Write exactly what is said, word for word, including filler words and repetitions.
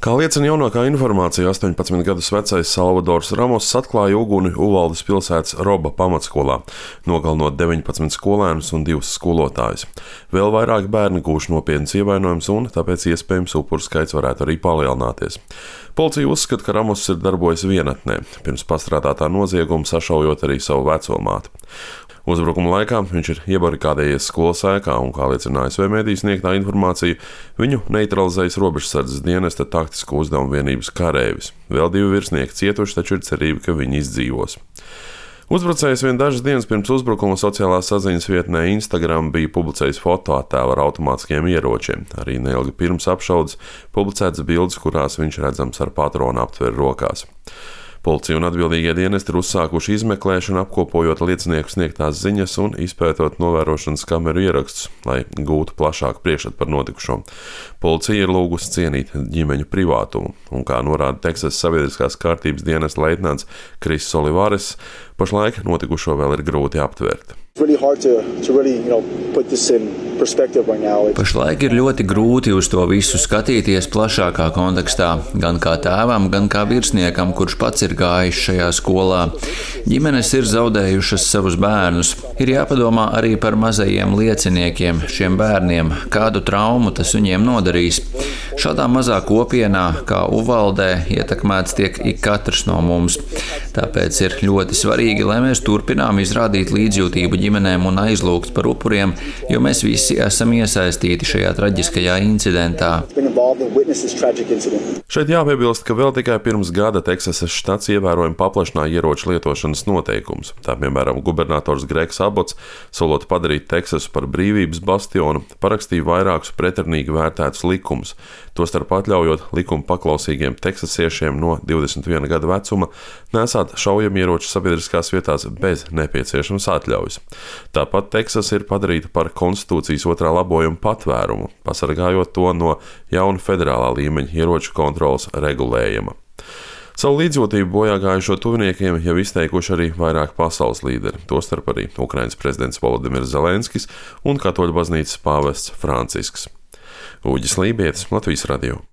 Kā liecina jaunākā informācija, astoņpadsmit gadus vecais Salvadors Ramos atklāja uguni Uvaldes pilsētas Roba pamatskolā, nogalinot deviņpadsmit skolēnus un divus skolotājus. Vēl vairāk bērni gūši nopietnas ievainojumus un tāpēc iespējams upuru skaits varētu arī palielināties. Policija uzskata, ka Ramos ir darbojies vienatnē, pirms pastrādātā nozieguma sašaujot arī savu vecomāti. Uzbrukuma laikā viņš ir iebarikādējies skolas ēkā un, kā liecina A S V mediju sniegtā informācija, viņu neutralizējis robežsardzes dienesta taktisko uzdevumu vienības karēvis. Vēl divi virsnieki cietuši, taču ir cerība, ka viņi izdzīvos. Uzbrucējs vien dažas dienas pirms uzbrukuma sociālās saziņas vietnē Instagram bija publicējis fotoattēlu ar automātiskiem ieročiem. Arī neilgi pirms apšaudes publicētas bildes, kurās viņš redzams ar patronu aptveri rokās. Policija un atbildīgie dienesti ir uzsākuši izmeklēšanu, apkopojot liecinieku sniegtās ziņas un izpētot novērošanas kameru ierakstus, lai gūtu plašāku priekšstatu par notikušo. Policija ir lūgusi cienīt ģimeņu privātumu, un, kā norāda Teksasas sabiedriskās kārtības dienesta leitnants Kris Olivares, pašlaik notikušo vēl ir grūti aptvert. Pašlaik ir ļoti grūti uz to visu skatīties plašākā kontekstā, gan kā tēvam, gan kā virsniekam, kurš pats ir gājis šajā skolā. Ģimenes ir zaudējušas savus bērnus. Ir jāpadomā arī par mazajiem lieciniekiem, šiem bērniem, kādu traumu tas viņiem nodarīs. Šādā mazā kopienā, kā Uvaldē, ietekmēts tiek ik katrs no mums. Tāpēc ir ļoti svarīgi, lai mēs turpinām izrādīt līdzjūtību ģimenēm un aizlūgt par upuriem, jo mēs visi esam iesaistīti šajā traģiskajā incidentā. Šeit jāpiebilst, ka vēl tikai pirms gada Teksasas štats ievērojami paplašināja ieroču lietošanas noteikumus. Tā, piemēram, gubernators Gregs Abots, solot padarīt Teksasu par brīvības bastionu, parakstīja vairākus pretrunīgi vērtētus likumus, tostarp atļaujot likuma paklausīgiem teksasiešiem no divdesmit viena gada vecuma nesāt šaujamieroču sabiedriskās vietās bez nepieciešamas atļaujas. Tāpat Teksasa ir padarīta par konstitūcijas otrā labojuma patvērumu, pasargājot to no jauna federālā līmeņa ieroču kontrolas regulējuma. Savu līdzjūtību bojāgājušo tuviniekiem jau izteikuši arī vairāk pasaules līderi, tostarp arī Ukrainas prezidents Volodimirs Zelenskis un Katoļu baznīcas pāvests Francisks. Uģis Lībietis, Latvijas radio.